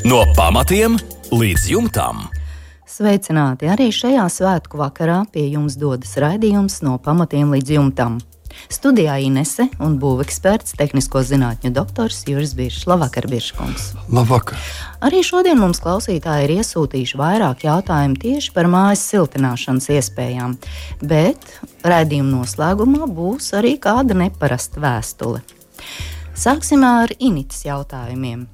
No pamatiem līdz jumtam. Sveicināti! Arī šajā svētku vakarā pie jums dodas raidījums No pamatiem līdz jumtam. Studijā Inese un būveksperts, tehnisko zinātņu doktors Juris Biršs. Labvakar, Birškungs! Labvakar! Arī šodien mums klausītāji ir iesūtījuši vairāk jautājumu tieši par mājas siltināšanas iespējām, bet raidījuma noslēgumā būs arī kāda neparasta vēstule. Sāksim ar Initas jautājumiem.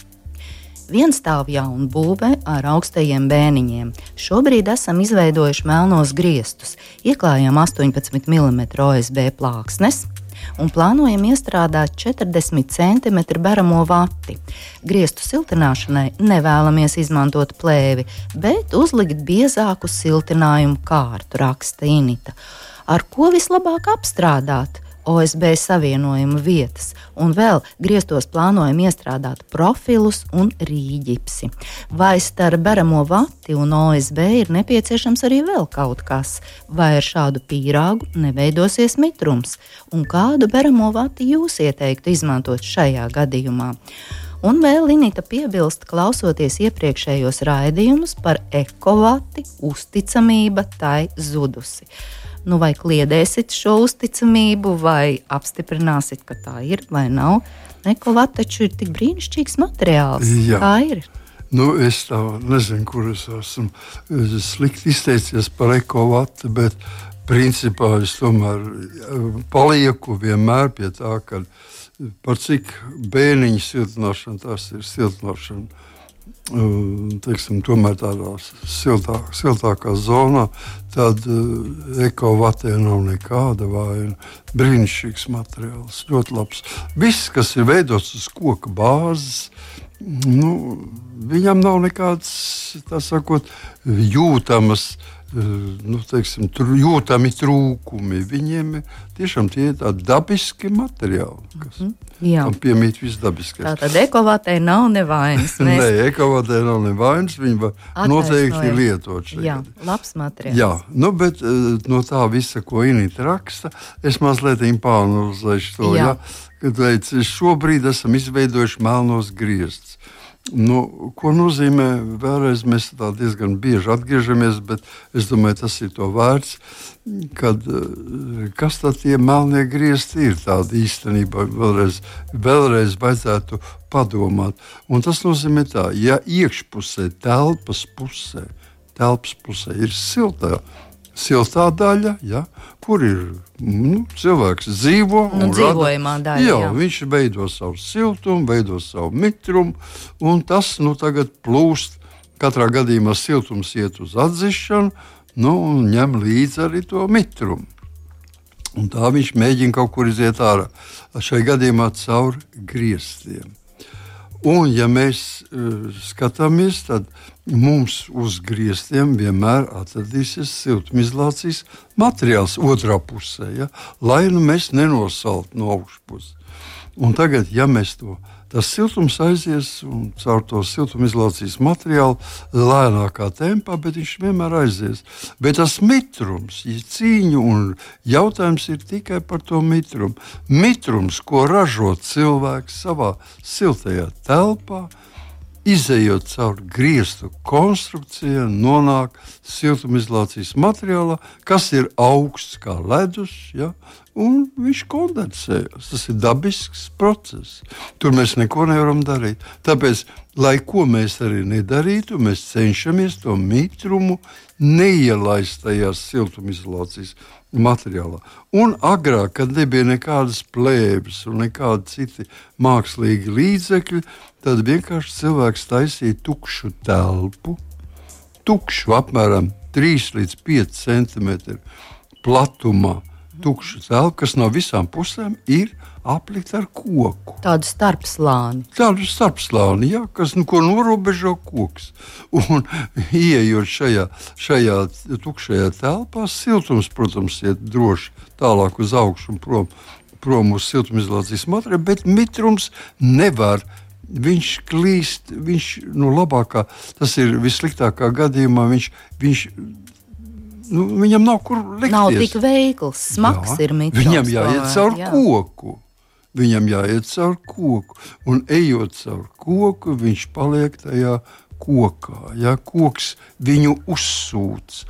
Vienstāvu jaunu būve ar augstajiem bēniņiem. Šobrīd esam izveidojuši melnos griestus, ieklājām 18 mm OSB plāksnes un plānojam iestrādāt 40 cm baramo vati. Griestu siltināšanai nevēlamies izmantot plēvi, bet uzlikt biezāku siltinājumu kārtu, raksta Inita. Ar ko vislabāk apstrādāt OSB savienojuma vietas, un vēl griestos plānojam iestrādāt profilus un rīģipsi. Vai starp baramo vati un OSB ir nepieciešams arī vēl kaut kas, vai ar šādu pīrāgu neveidosies mitrums, un kādu baramo vati jūs ieteiktu izmantot šajā gadījumā? Un vēl Inita piebilst, klausoties iepriekšējos raidījumus par ekovati, uzticamība tai zudusi. Nu, vai kliedēsit šo uzticamību, vai apstiprināsit, ka tā ir vai nav? Ekovati taču ir tik brīnišķīgs materiāls. Jā. Kā ir? Nu, es tā nezinu, kur es esmu slikti izteicies par ekovati, bet principā es tomēr palieku vienmēr pie tā, ka par cik bēniņu siltināšana tas ir siltināšana. Teiksim, tomēr tādā siltākā zonā, tad ekovatē nav nekāda vaina. Brīnišķīgs materiāls, ļoti labs. Viss, kas ir veidots uz koka bāzes, viņam nav nekādas, tā sakot, jūtamas, jūtami trūkumi. Viņiem tiešām tie ir tādi dabiski materiāli, kas tam piemīt viss dabiskais. Tātad ekovātei nav nevainas. Nē, ekovātei nav nevainas, viņi var noteikti lietot šeit. Jā, labs materiāls. Jā, bet no tā visa, ko Inita raksta, es mazliet pāranalizēšu to, kad teica, šobrīd esam izveidojuši melnos griestus. Ko nozīmē, vēlreiz mēs tā diezgan bieži atgriežamies, bet es domāju, tas ir to vērts, kas tad tie melnie griezti ir tādi īstenībā, vēlreiz vajadzētu padomāt. Un tas nozīmē tā, ja iekšpusē, telpas pusē ir siltā daļa, kur ir cilvēks dzīvo. Dzīvojamā daļa. Viņš veido savu siltumu, veido savu mitrumu, un tas tagad plūst. Katrā gadījumā siltums iet uz atdzišanu, un ņem līdzi arī to mitrumu. Un tā viņš mēģina kaut kur iziet ārā. Šai gadījumā caur griestiem. Un, ja mēs skatāmies, tad mums uz griestiem vienmēr atradīsies siltumizolācijas materiāls otrā pusē, lai mēs nenosaltu no augšpuses. Un tagad, ja mēs tas siltums aizies un caur to siltumizolācijas materiālu lēnākā tempā, bet viņš vienmēr aizies. Bet tas mitrums, cīņa un jautājums ir tikai par to mitrumu. Mitrums, ko ražo cilvēks savā siltajā telpā, izejot caur griestu konstrukcijā, nonāk siltumizolācijas materiālā, kas ir augsts kā ledus, un viņš kondensējas. Tas ir dabisks process. Tur mēs neko nevaram darīt. Tāpēc, lai ko mēs arī nedarītu, mēs cenšamies to mitrumu neielaist tajā siltumizolācijas materiālā. Un agrāk, kad nebija nekādas plēves un nekādi citi mākslīgi līdzekļi, tad vienkārši cilvēks taisīja tukšu telpu, apmēram 3 līdz 5 centimetru platumā, tukšu telpu, kas no visām pusēm ir aplikta ar koku. Tādu starpslāni, kas ko norobežo koks. Un ieejot šajā tukšajā telpā, siltums, protams, iet droši tālāk uz augšu un prom uz siltumizolācijas materiālu, bet mitrums nevar. Viņš klīst, labākā, tas ir vissliktākā gadījumā, viņam nav kur likties. Nav tik veikls, smags ir mitrums. Viņam jāiet caur koku. Viņam jāiet caur koku, un ejot caur koku, viņš paliek tajā kokā. Ja? Koks viņu uzsūc.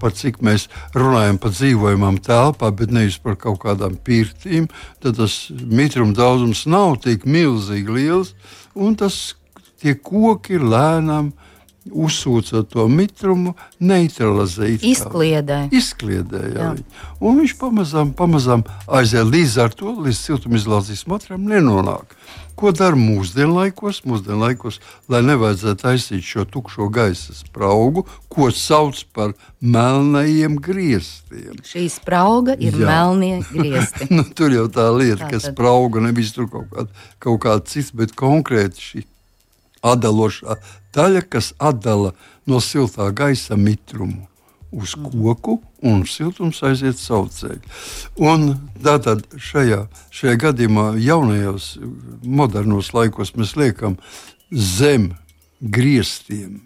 Par cik mēs runājam par dzīvojamām telpām, bet nevis par kaut kādām pirtīm, tad tas mitruma daudzums nav tik milzīgi liels, un tie koki lēnām uzsūcot to mitrumu, neutralizē. Izkliedē, jā. Un viņš pamazām aiziet līdz ar to, līdz siltumizolācijas materiālam nenonāk. Ko dara mūsdienlaikos? Mūsdienlaikos, lai nevajadzētu taisīt šo tukšo gaisa spraugu, ko sauc par melnajiem griestiem. Šī sprauga ir melnie griesti. Tur jau tā lieta, ka sprauga nevis tur kaut kāda cits, bet konkrēti šī atdalošā daļa, kas atdala no siltā gaisa mitrumu uz koku, un siltums aiziet savu ceļu. Un tātad šajā gadījumā jaunajos modernos laikos mēs liekam zem griestiem,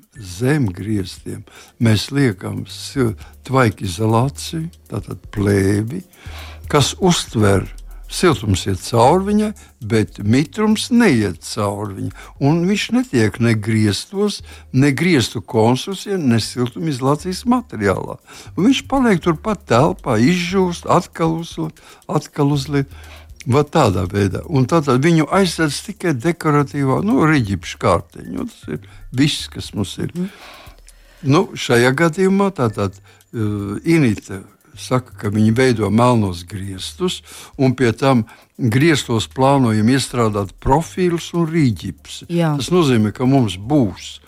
mēs liekam tvaika izolāciju, tātad plēvi, kas uztver siltums iet cauri viņai, bet mitrums neiet cauri viņai. Un viņš netiek ne griestos, ne griestu konstrukcijā, ne siltumizolācijas materiālā. Un viņš paliek turpat telpā, izžūst, atkal uzliek. Tādā veidā. Un tātad viņu aizsardz tikai dekoratīvā, riģipša kārtiņa. Tas ir viss, kas mums ir. Šajā gadījumā tātad Inita saka, ka viņi veido melnos griestus, un pie tam griestos plānojam iestrādāt profīlus un rīģipsi. Tas nozīmē, ka mums būs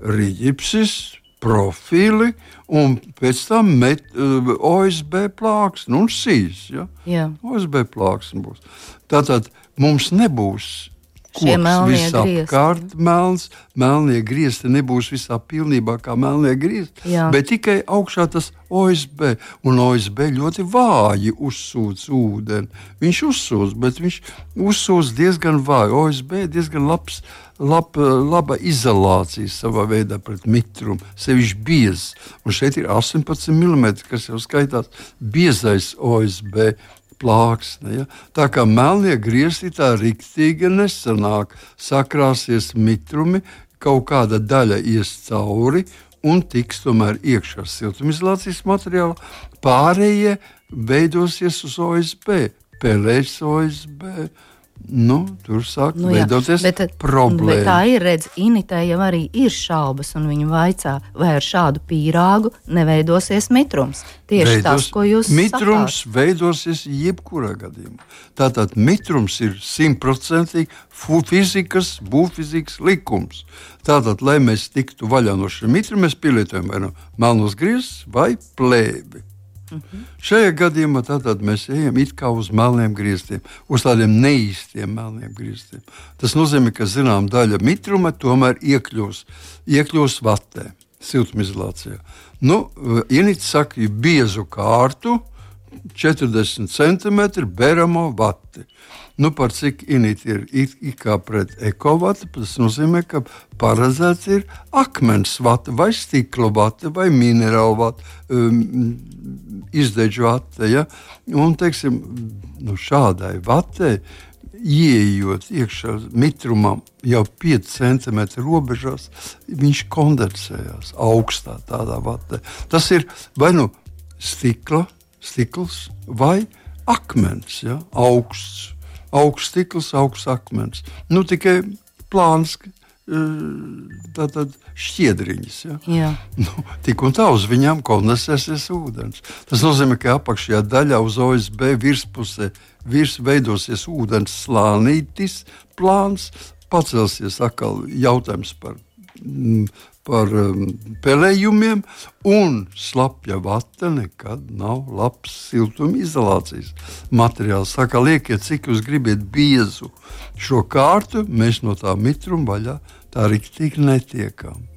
rīģipsis, profīli, un pēc tam OSB plāksne un sīs. Ja? OSB plāksne būs. Tātad mums nebūs koks visapkārt melns, melnie griesti nebūs visā pilnībā kā melnie griesti, bet tikai augšā tas OSB, un OSB ļoti vāji uzsūc ūdeni. Viņš uzsūc, bet viņš uzsūc diezgan vāji. OSB diezgan laba izolācija savā veidā pret mitrumu, sevišķi biezs. Un šeit ir 18 mm, kas jau skaitās biezais OSB plāksne. Ja? Tā kā melnie griesti tā riktīgi nesanāk, sakrāsies mitrumi, kaut kāda daļa ies cauri un tiks tomēr iekšā siltumizolācijas materiāla, pārējie veidosies uz OSB, pelēs OSB. Tur sāk veidoties problēma. Bet tā ir, Initai jau arī ir šaubas, un viņa vaicā, vai ar šādu pīrāgu neveidosies mitrums. Tieši tas, ko jūs mitrums sakāt. Veidosies jebkurā gadījumā. Tātad mitrums ir 100% būvfizikas likums. Tātad, lai mēs tiktu vaļā no šī mitruma, mēs pielietojam vai melnos griestus vai plēvi. Šajā gadījumā tātad mēs ejam it kā uz melniem griestiem, uz tādiem neīstiem melniem griestiem. Tas nozīmē, ka zinām daļa mitruma tomēr iekļūs vatē, siltumizolācijā. Inits saka, biezu kārtu, 40 cm beramo vati. Par cik Init ir kā pret ekovati, tas nozīmē, ka paredzēts ir akmens vata vai stikla vata vai minerāla vata, izdeģu vata. Ja? Un, teiksim, šādai vatei, ieejot iekšā mitrumam jau 5 cm robežās, viņš kondensējās augstā tādā vatē. Tas ir vai stikls vai akmens, ja? Augsts stikls, augsts akmens. Tikai plāns, tātad šķiedriņas. Ja? Tik un tā uz viņām kondensēsies ūdens. Tas nozīmē, ka apakšējā daļā uz OSB virspusē veidosies ūdens slānītis, plāns, pacelsies atkal jautājums par pelējumiem, un slapja vata nekad nav labs siltumizolācijas materiāls. Saka, liekiet, cik jūs gribiet biezu šo kārtu, mēs no tā mitruma vaļā tā riktīgi netiekam.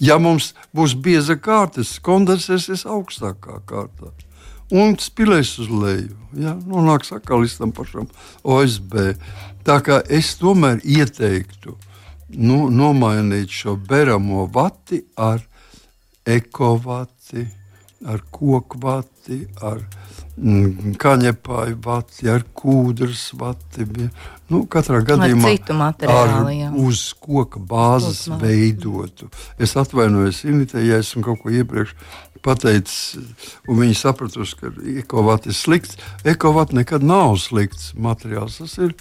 Ja mums būs bieza kārta, kondensēsies augstākā kārtā un spilēs uz leju. Ja? Nonāks atkal līdz tam pašam OSB. Tā kā es tomēr ieteiktu nomainīt šo beramo vati ar ekovati, ar koku vati, ar kaņepāju vati, ar kūdras vati. Katrā gadījumā ar citu materiālu, uz koka bāzes veidotu. Es atvainojos Initei, ja esmu kaut ko iepriekš pateicis, un viņi sapratusi, ka ekovati ir slikts. Ekovati nekad nav slikts materiāls. Tas ir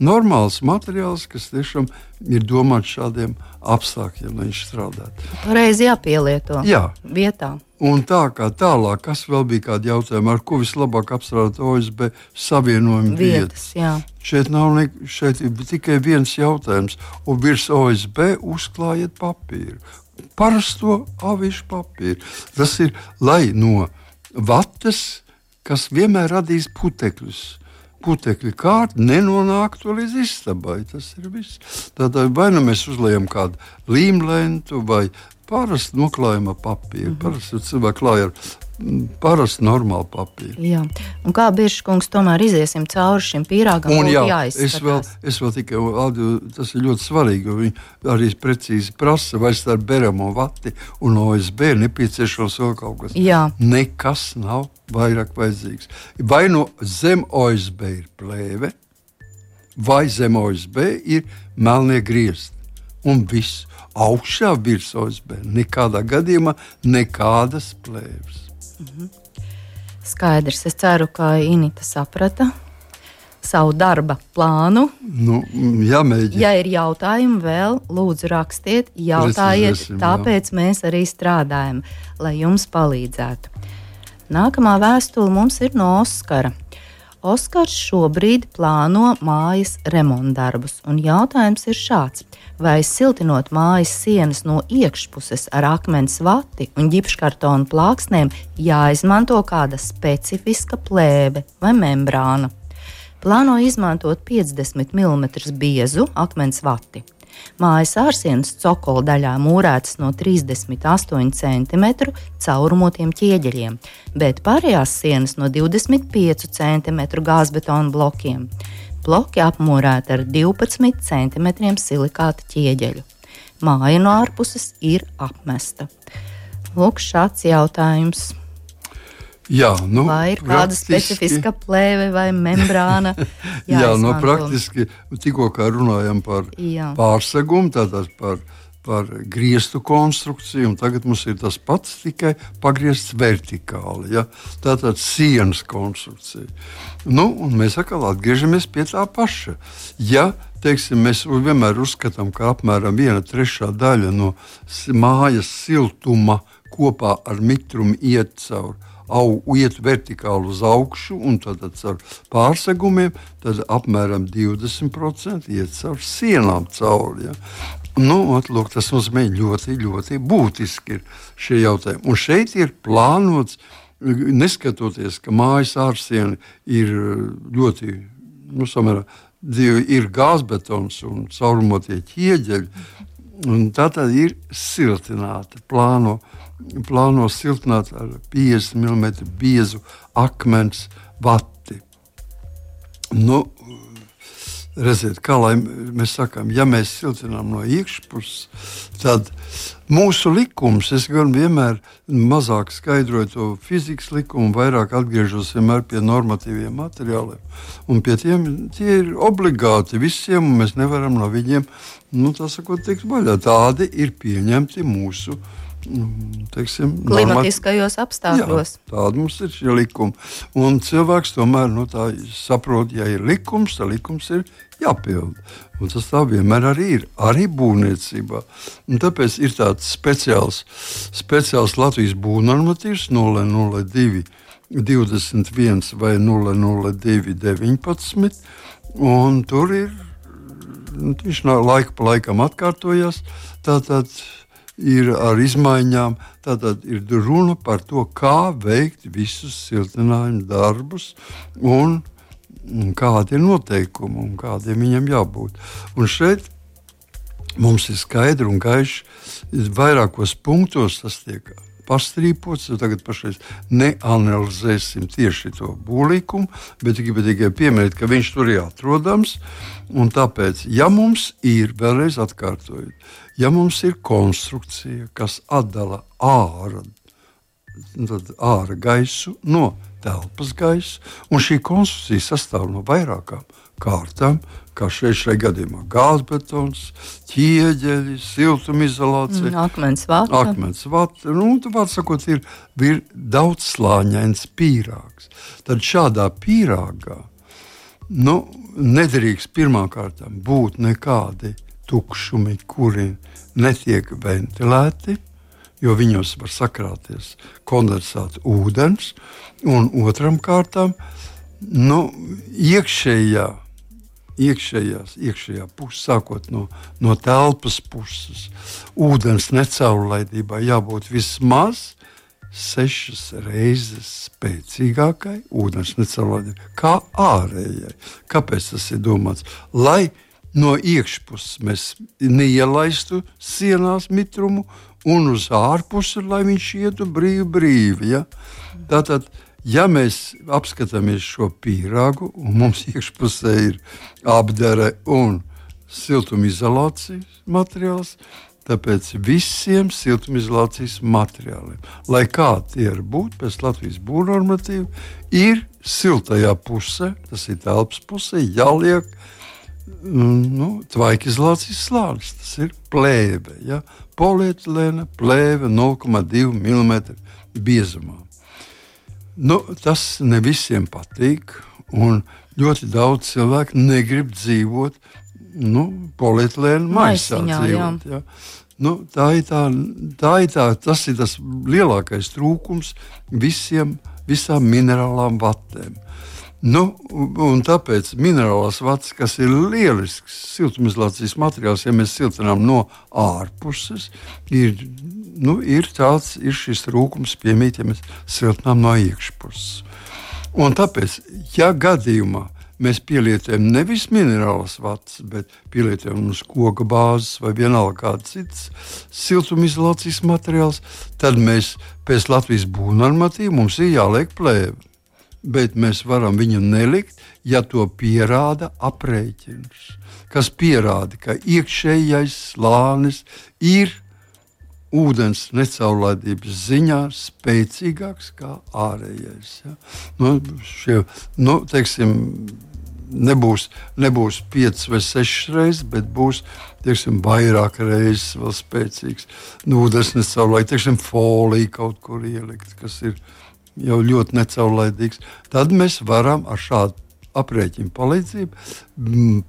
normāls materiāls, kas tiešām ir domāts šādiem apstākļiem, lai viņš strādātu. Pareizi jāpielieto vietā. Un tā kā tālāk, kas vēl bija kādi jautājumi, ar ko vislabāk apstrādāt OSB savienojumu vietas? Šeit ir tikai viens jautājums, un virs OSB uzklājiet papīru. Parasto avīšu papīru. Tas ir, lai no vatas, kas vienmēr radīs putekļus, putekļu kārta nenonāktu līdz istabai. Tas ir viss. Tātad vai nu mēs uzliekam kādu līmlentu vai parasti noklājam ar papīru. Parasti cilvēki klāja ar parasti normālu papīru. Jā. Un kā Birškungs tomēr iziesim cauri šim pīrāgam, būtu jāizskatās? Es vēl tikai, tas ir ļoti svarīgi, jo viņi arī precīzi prasa, vai starp beramo vati un OSB nepieciešams vēl kaut kas. Jā. Nekas nav vairāk vajadzīgs. Vai no zem OSB ir plēve, vai zem OSB ir melnie griezti. Un viss augšā virs OSB. Nekādā gadījumā nekādas plēves. Skaidrs. Es ceru, ka Inita saprata savu darba plānu. Jāmēģina. Ja ir jautājumi vēl, lūdzu rakstiet, jautājiet, tāpēc mēs arī strādājam, lai jums palīdzētu. Nākamā vēstule mums ir no Oskara. Oskars šobrīd plāno mājas remontdarbus, un jautājums ir šāds. Vai siltinot mājas sienas no iekšpuses ar akmens vati un ģipškartonu plāksnēm jāizmanto kāda specifiska plēve vai membrāna? Plāno izmantot 50 mm biezu akmens vati. Mājas ārsienas cokola daļā mūrētas no 38 cm caurumotiem ķieģeļiem, bet pārējās sienas no 25 cm gāzbetona blokiem. Bloki apmūrēti ar 12 cm silikāta ķieģeļu. Māja no ārpuses ir apmesta. Lūk, šāds jautājums. Vai ir kāda specifiska plēve vai membrāna? Praktiski tikko kā runājam par pārsegumu, tātad par grieztu konstrukciju, un tagad mums ir tas pats, tikai pagriezts vertikāli. Tātad sienas konstrukcija. Un mēs atkal atgriežamies pie tā paša. Mēs vienmēr uzskatām, ka apmēram 1/3 daļa no mājas siltuma kopā ar mitrumu iet vertikāli uz augšu, un tad ar pārsegumiem tad apmēram 20% iet caur sienām cauri. Lūk, tas nozīmē ļoti, ļoti būtiski ir šie jautājumi. Un šeit ir plānots, neskatoties, ka mājas ārsiena ir ļoti, samērā, ir gāzbetons un caurumotie ķieģeļi, un tā tad ir siltināta, plāno siltināt ar 50 mm biezu akmens vati. Redziet, kā lai mēs sakām, ja mēs siltinām no iekšpuses, tad mūsu likums, es gan vienmēr mazāk skaidroju to fizikas likumu, vairāk atgriežos vienmēr pie normatīviem materiāliem. Un pie tiem tie ir obligāti visiem, un mēs nevaram no viņiem, tikt vaļā. Tādi ir pieņemti mūsu klimatiskajos apstākļos. Tāda mums ir šie likumi. Un cilvēks tomēr tā saprot, ja ir likums, tad likums ir jāpilda. Un tas tā vienmēr arī ir, arī būvniecībā. Un tāpēc ir tāds speciāls Latvijas būvnormatīvs 002 21 vai 002 19, un tur ir, viņš laika pa laikam atkārtojas, tātad ir ar izmaiņām, tātad ir runa par to, kā veikt visus siltinājumu darbus un kādi ir noteikumi un kādiem viņam jābūt. Un šeit mums ir skaidri un gaiši, vairākos punktos tas tiek pastrīpots, jo tagad pašreiz neanalizēsim tieši to būvlikumu, bet tikai pieminēt, ka viņš tur ir atrodams, un tāpēc, ja mums ir, vēlreiz atkārtojot, ja mums ir konstrukcija, kas atdala ārā ārā gaisu no telpas gaisu, un šī konstrukcija sastāv no vairākām kārtām, kā šajā gadījumā gāzbetons, ķieģeļi, siltumizolācija, akmens vata. Tu var sakot, ir daudzslāņains pīrāgs. Tad šādā pīrāgā nedrīkst pirmkārt būt nekādi tukšumi, kuri netiek ventilēti, jo viņos var sakrāties kondensēts ūdens, un otram kārtām iekšējā pusē, sākot no telpas puses, ūdens necaurlaidībai jābūt vismaz 6 reizes spēcīgākai ūdens necaurlaidībai kā ārējai. Kāpēc tas ir domāts? Lai no iekšpuses mēs neielaistu sienās mitrumu, un uz ārpusi, lai viņš ietu brīvi. Ja? Tātad, ja mēs apskatāmies šo pīrāgu, un mums iekšpusē ir apdare un siltumizolācijas materiāls, tāpēc visiem siltumizolācijas materiāliem, lai kā tie ir būt pēc Latvijas būvnormatīva, ir siltajā pusē, tas ir telpas pusē, jāliek tvaikizolācijas slānis. Tas ir plēve, ja? Polietilēna plēve 0,2 mm biezumā. Tas ne visiem patīk, un ļoti daudz cilvēku negrib dzīvot polietilēna maisā dzīvot. Ja? Tas ir tas lielākais trūkums visām minerālām vatēm. Un tāpēc minerālās vatas, kas ir lielisks siltumizolācijas materiāls, ja mēs siltinām no ārpuses, ir šis trūkums piemīt, ja mēs siltinām no iekšpuses. Un tāpēc, ja gadījumā mēs pielietojam nevis minerālas vatas, bet pielietojam uz koka bāzes vai vienalga kāds cits siltumizolācijas materiāls, tad mēs pēc Latvijas būvnormatīva mums ir jāliek plēve. Bet mēs varam viņu nelikt, ja to pierāda aprēķins, kas pierāda, ka iekšējais slānis ir ūdens necaurlaidības ziņā spēcīgāks kā ārējais. Ja? Nebūs 5 vai 6 reizes, bet būs vairāk reizes vēl spēcīgs. Ūdens necaurlaidīgs, folija kaut kur ielikt, kas ir jau ļoti necaurlaidīgs, tad mēs varam ar šādu aprēķinu palīdzību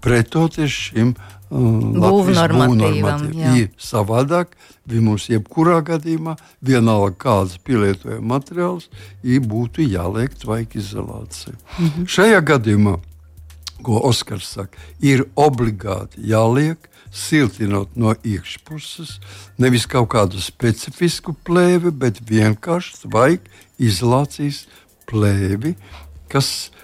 pretoties šim būvnormatīvam. Savādāk mums jebkurā gadījumā vienalga kāds pielietojama materiāls būtu jāliek tvaikizolācija. Šajā gadījumā, ko Oskars saka, ir obligāti jāliek siltinot no iekšpuses, nevis kaut kādu specifisku plēvi, bet vienkārši tvaikizolācijas plēvi, kas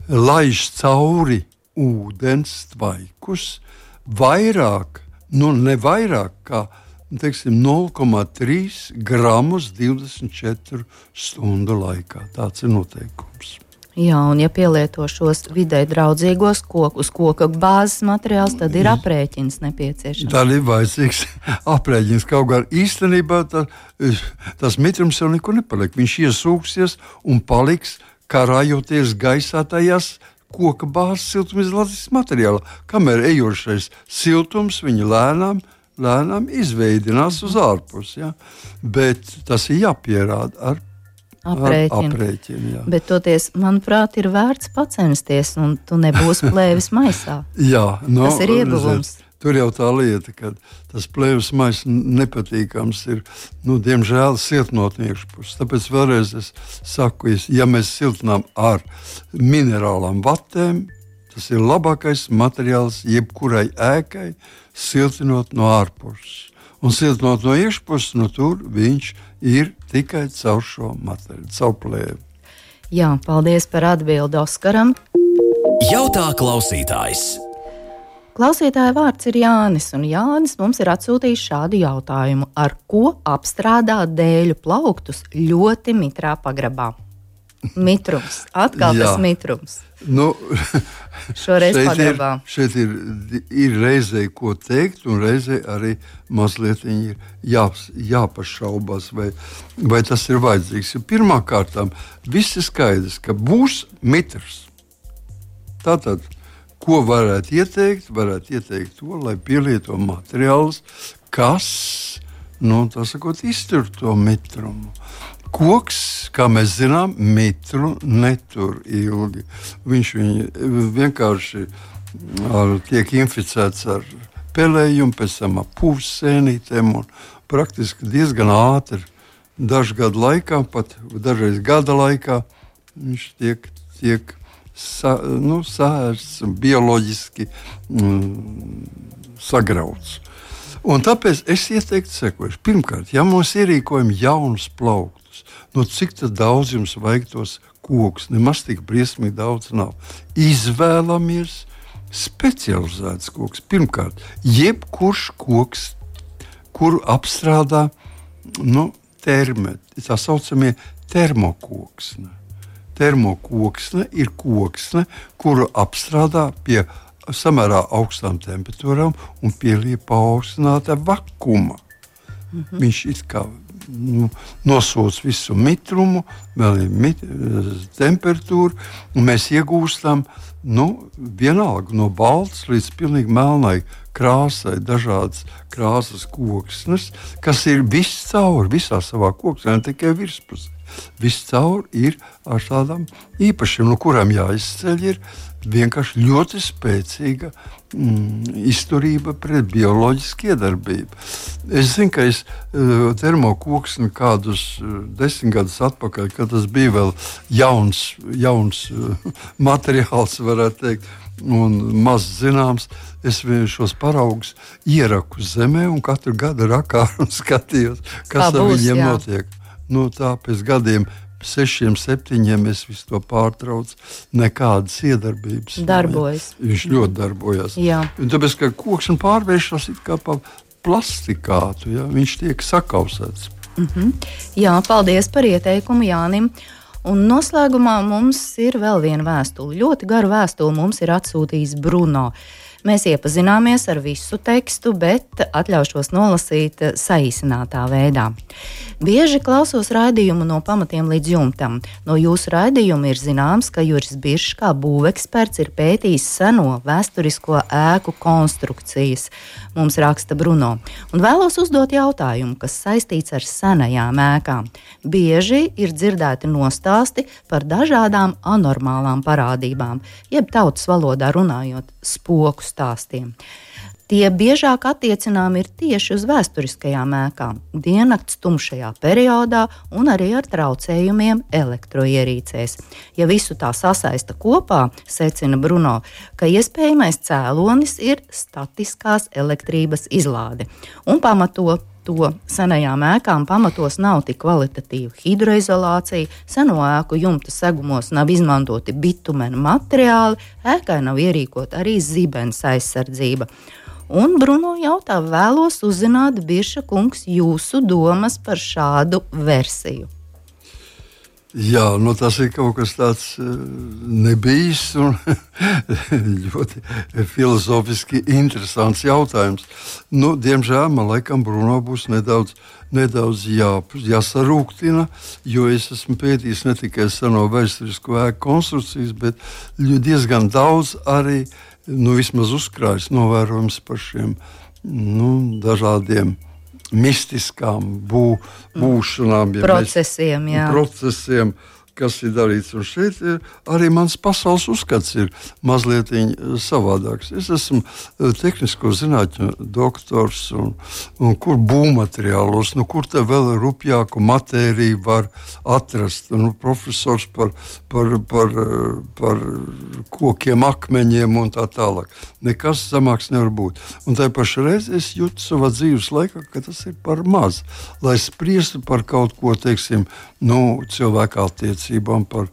laiž cauri ūdens tvaikus vairāk, ne vairāk kā 0,3 gramus 24 stundu laikā. Tāds ir noteikums. Jā, un ja pielieto šos vidē draudzīgos kokus, koka bāzes materiāls, tad ir aprēķins nepieciešams. Tad ir vajadzīgs aprēķins. Kaut gan īstenībā tas mitrums jau nekur nepaliek. Viņš iesūksies un paliks karājoties gaisā tajās koka bāzes siltumizolācijas materiālā. Kamēr ejošais siltums viņa lēnām izveidinās uz ārpusi. Ja? Bet tas ir jāpierāda ar aprēķinu. Bet toties, manuprāt, ir vērts pacensties, un tu nebūsi plēvis maisā. Jā, tas ir ieguvums. Tur jau tā lieta, ka tas plēvis maiss nepatīkams ir, diemžēl, siltinot no iekšpuses. Tāpēc vēlreiz es saku, ja mēs siltinām ar minerālām vatēm, tas ir labākais materiāls jebkurai ēkai, siltinot no ārpuses. Un siltinot no iekšpuses, tur viņš ir tikai caur šo materiālu, caur plēvi. Jā, paldies par atbildi Oskaram. Jautā klausītājs. Klausītāja vārds ir Jānis, un Jānis mums ir atsūtījis šādu jautājumu. Ar ko apstrādā dēļu plauktus ļoti mitrā pagrabā? Mitrums. Atkal tas mitrums. Nu, Šoreiz pagrabā. Šeit ir reizē ko teikt, un reizē arī mazliet ir jāpašaubās, vai tas ir vajadzīgs. Jo pirmkārt, viss ir skaidrs, ka būs mitrs. Tātad, ko varētu ieteikt? Varētu ieteikt to, lai pielieto materiālus, kas, tā sakot, iztur to mitrumu. Koks, kā mēs zinām, mitru netur ilgi. Viņš vienkārši tiek inficēts ar pelējumu, pēc tam ar pūvsēnītēm un praktiski diezgan ātri, dažu gadu laikā, pat dažreiz gada laikā, viņš tiek sārsts un bioloģiski sagrauts. Un tāpēc es ieteiktu sekojuši. Pirmkārt, ja mums ierīkojam jaunus plauktus, cik daudz jums vajag tos kokus? Nemaz tik briesmīgi daudz nav. Izvēlamies specializēts koks. Pirmkārt, jebkurš koks, kuru apstrādā tā saucamie termokoksne. Termokoksne ir koksne, kuru apstrādā pie samērā augstām temperatūrām un pieliek paaugstināta vakuma. Viņš it kā nosūc visu mitrumu, vēl ir temperatūra, un mēs iegūstam vienalga no baltas līdz pilnīgi melnai krāsai, dažādas krāsas koksnes, kas ir viscaur, visā savā koksnē, ne tikai virspusē. Viscaur ir ar tādām īpašiem, no kurām jāizceļ ir vienkārši ļoti spēcīga izturība pret bioloģisku iedarbību. Es zinu, ka es termokoksni kādus 10 gadus atpakaļ, kad tas bija vēl jauns materiāls, varētu teikt, un maz zināms, es šos paraugus ieraku zemē un katru gadu rakāru un skatījos, kas ar viņiem notiek. Tā pēc gadiem 6, 7 es visu to pārtraucu. Nekādas iedarbības. Darbojas. Viņš ļoti darbojas. Tāpēc, ka koks pārvēršas kā pa plastikātu, viņš tiek sakausēts. Jā, paldies par ieteikumu Jānim. Un noslēgumā mums ir vēl viena vēstule. Ļoti garu vēstuli mums ir atsūtījis Bruno. Mēs iepazināmies ar visu tekstu, bet atļaušos nolasīt saīsinātā veidā. Bieži klausos raidījumu no pamatiem līdz jumtam. No jūsu raidījuma ir zināms, ka Juris Biršs kā būveksperts ir pētījis seno vēsturisko ēku konstrukcijas, mums raksta Bruno. Un vēlos uzdot jautājumu, kas saistīts ar senajām ēkām. Bieži ir dzirdēti nostāsti par dažādām anormālām parādībām, jeb tautas valodā runājot spoku stāstiem. Tie biežāk attiecinām ir tieši uz vēsturiskajām ēkām, diennakts tumšajā periodā un arī ar traucējumiem elektroierīcēs. Ja visu tā sasaista kopā, secina Bruno, ka iespējamais cēlonis ir statiskās elektrības izlāde un pamato to senajām ēkām pamatos nav tik kvalitatīva hidroizolācija, seno ēku jumta segumos nav izmantoti bitumena materiāli, ēkai nav ierīkota arī zibens aizsardzība. Un Bruno jautā, vēlos uzzināt, Birša kungs, jūsu domas par šādu versiju. Jā, tas ir kaut kas tāds nebijis un ļoti filozofiski interesants jautājums. Diemžēl man laikam Bruno būs nedaudz jāsarūktina, jo es esmu pētījis ne tikai seno vēsturisko ēku konstrukcijas, bet diezgan daudz arī vismaz uzkrājis novērojums par šiem dažādiem mistiskām būšanām, procesiem, kas ir darīts. Un šeit arī mans pasaules uzskats ir mazliet savādāks. Es esmu tehnisko zinātņu doktors un kur būvmateriālos, kur te vēl rupjāku matēriju var atrast. Profesors par kokiem, akmeņiem un tā tālāk. Nekas zemāks nevar būt. Un tā pašā reizē es jūtu savā dzīves laikā, ka tas ir par maz, lai spriestu par kaut ko, teiksim, cilvēku attiecībām, par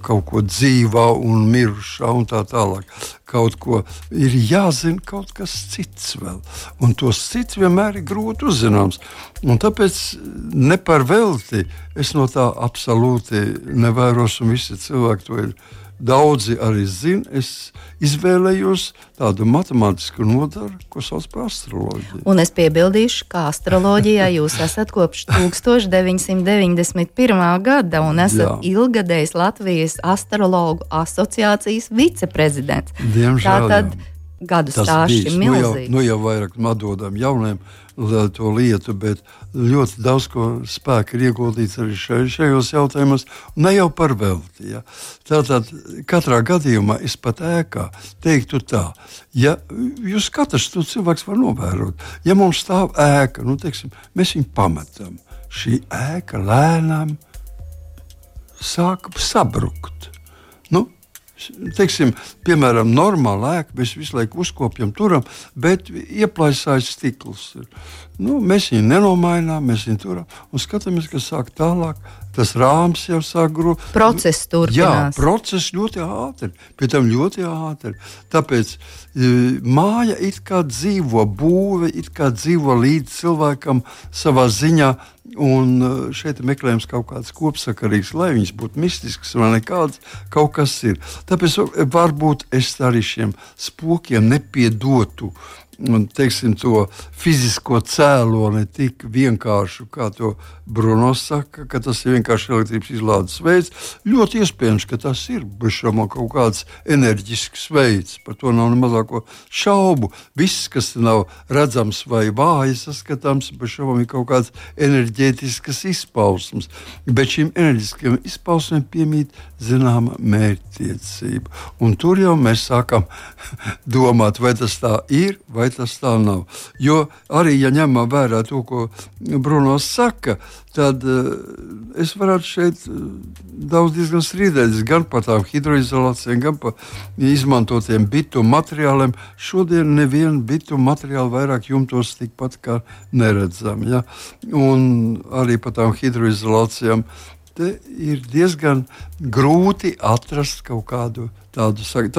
kaut ko dzīvā un mirušā un tā tālāk. kaut ko, ir jāzina kaut kas cits vēl. Un tos cits vienmēr ir grūti uzzināms. Un tāpēc ne par velti es no tā absolūti nevēros, un visi cilvēki to ir. Daudzi arī zina, es izvēlējos tādu matemātisku nodaru, ko sauc par astroloģiju. Un es piebildīšu, ka astroloģijā jūs esat kopš 1991. gada un esat ilgadējs Latvijas astrologu asociācijas viceprezidents. Diemžēl, tātad gadu stāsts ir milzīgs. Nu jau vairāk atdodam jauniem to lietu, bet ļoti daudz ko spēku ir ieguldīts arī šajos jautājumos, ne jau par velti. Ja. Tātad katrā gadījumā es pat ēkā teiktu tā, ja jūs katrs to cilvēks var novērot, ja mums stāv ēka, nu teiksim, mēs viņu pametam, šī ēka lēnām sāk sabrukt. Nu, teiksim, piemēram, normāla ēka, mēs visu laiku uzkopjam, turam, bet ieplaisājas stikls. Nu, mēs viņu nenomainām, mēs viņu turam un skatāmies, ka sāk tālāk, tas rāms jau sāk grūt. Process turpinās. Jā, process ļoti ātri, pie tam ļoti ātri. Tāpēc māja it kā dzīvo, būve it kā dzīvo līdz cilvēkam savā ziņā, un šeit meklējams kaut kāds kopsakarīgs, lai viņas būtu mistisks vai nekāds, kaut kas ir. Tāpēc varbūt es arī šiem spokiem nepiedotu, teiksim, to fizisko cēloni tik vienkāršu, kā to Bruno saka, ka tas ir vienkārši elektrības izlādes veids. Ļoti iespējams, ka tas ir bešamo kaut kāds enerģisks veids, par to nav ne mazāko šaubu. Viss, kas nav redzams vai vāji saskatāms, bešamo ir kaut kāds enerģētiskas izpausmes, bet šīm enerģiskajām izpausmēm piemīt zināma mērķtiecība. Un tur jau mēs sākam domāt, vai tas tā ir, vai tas tā nav. Jo arī, ja ņemam vērā to, ko Bruno saka, tad es varētu šeit daudz diezgan strīdēties gan par tām hidroizolācijām, gan par izmantotiem bituma materiāliem. Šodien nevienu bituma materiālu vairāk jumtos tikpat kā neredzam. Ja? Un arī par tām hidroizolācijām te ir diezgan grūti atrast kaut kādu tādu saktu.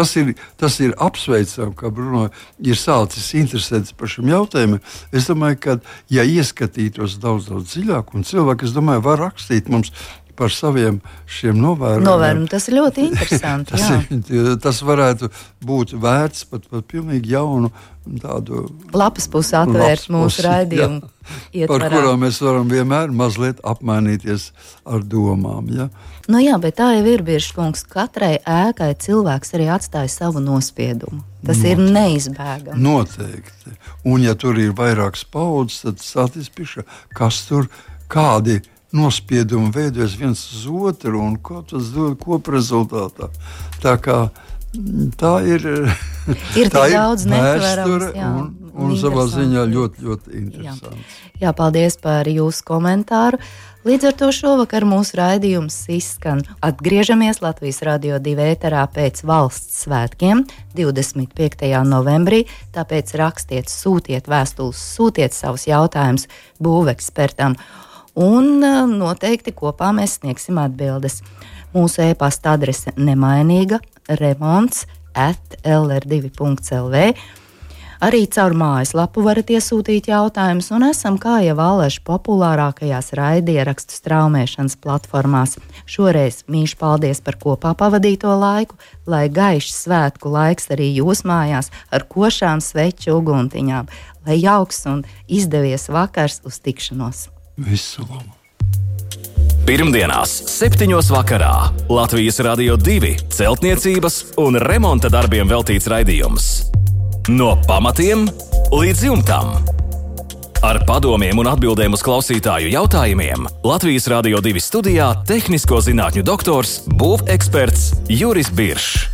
Tas ir apsveicami, ka Bruno ir sācis interesēties par šiem jautājumiem. Es domāju, ka, ja ieskatītos daudz dziļāk, un cilvēki, es domāju, var rakstīt mums par saviem šiem novērojumiem. Tas ir ļoti interesanti. Tas varētu būt vērts pat pilnīgi jaunu tādu lapas pusi atvērt mūsu raidījumu ietvarā. Par kurām mēs varam vienmēr mazliet apmainīties ar domām. Ja? Nu jā, bet tā jau ir, Birškungs, katrai ēkai cilvēks arī atstāja savu nospiedumu. Tas ir neizbēgami. Noteikti. Un ja tur ir vairākas paudzes, tad sāties pišā, kas tur kādi nospiedumi veidojas viens uz otru un ko tas dod koprezultātā. Tā kā tā ir tā daudz vēsture un savā ziņā ļoti, ļoti interesants. Jā, paldies par jūsu komentāru. Līdz ar to šovakar mūsu raidījums izskan. Atgriežamies Latvijas Radio 2 ēterā pēc valsts svētkiem 25. novembrī, tāpēc rakstiet, sūtiet vēstules, sūtiet savus jautājumus būvekspertam. Un noteikti kopā mēs sniegsim atbildes. Mūsu e-pasta adrese nemainīga remonts@lr2.lv. Arī caur mājaslapu varat iesūtīt jautājumus, un esam kā jau āleši populārākajās raidierakstu straumēšanas platformās. Šoreiz mīļš paldies par kopā pavadīto laiku, lai gaišs svētku laiks arī jūs mājās ar košām sveču uguntiņām, lai jauks un izdevies vakars uz tikšanos. Visu labu! Pirmdienās 7. vakarā Latvijas Radio 2 celtniecības un remonta darbiem veltīts raidījums. No pamatiem līdz jumtam. Ar padomiem un atbildēm uz klausītāju jautājumiem Latvijas Radio 2 studijā tehnisko zinātņu doktors, būveksperts Juris Biršs.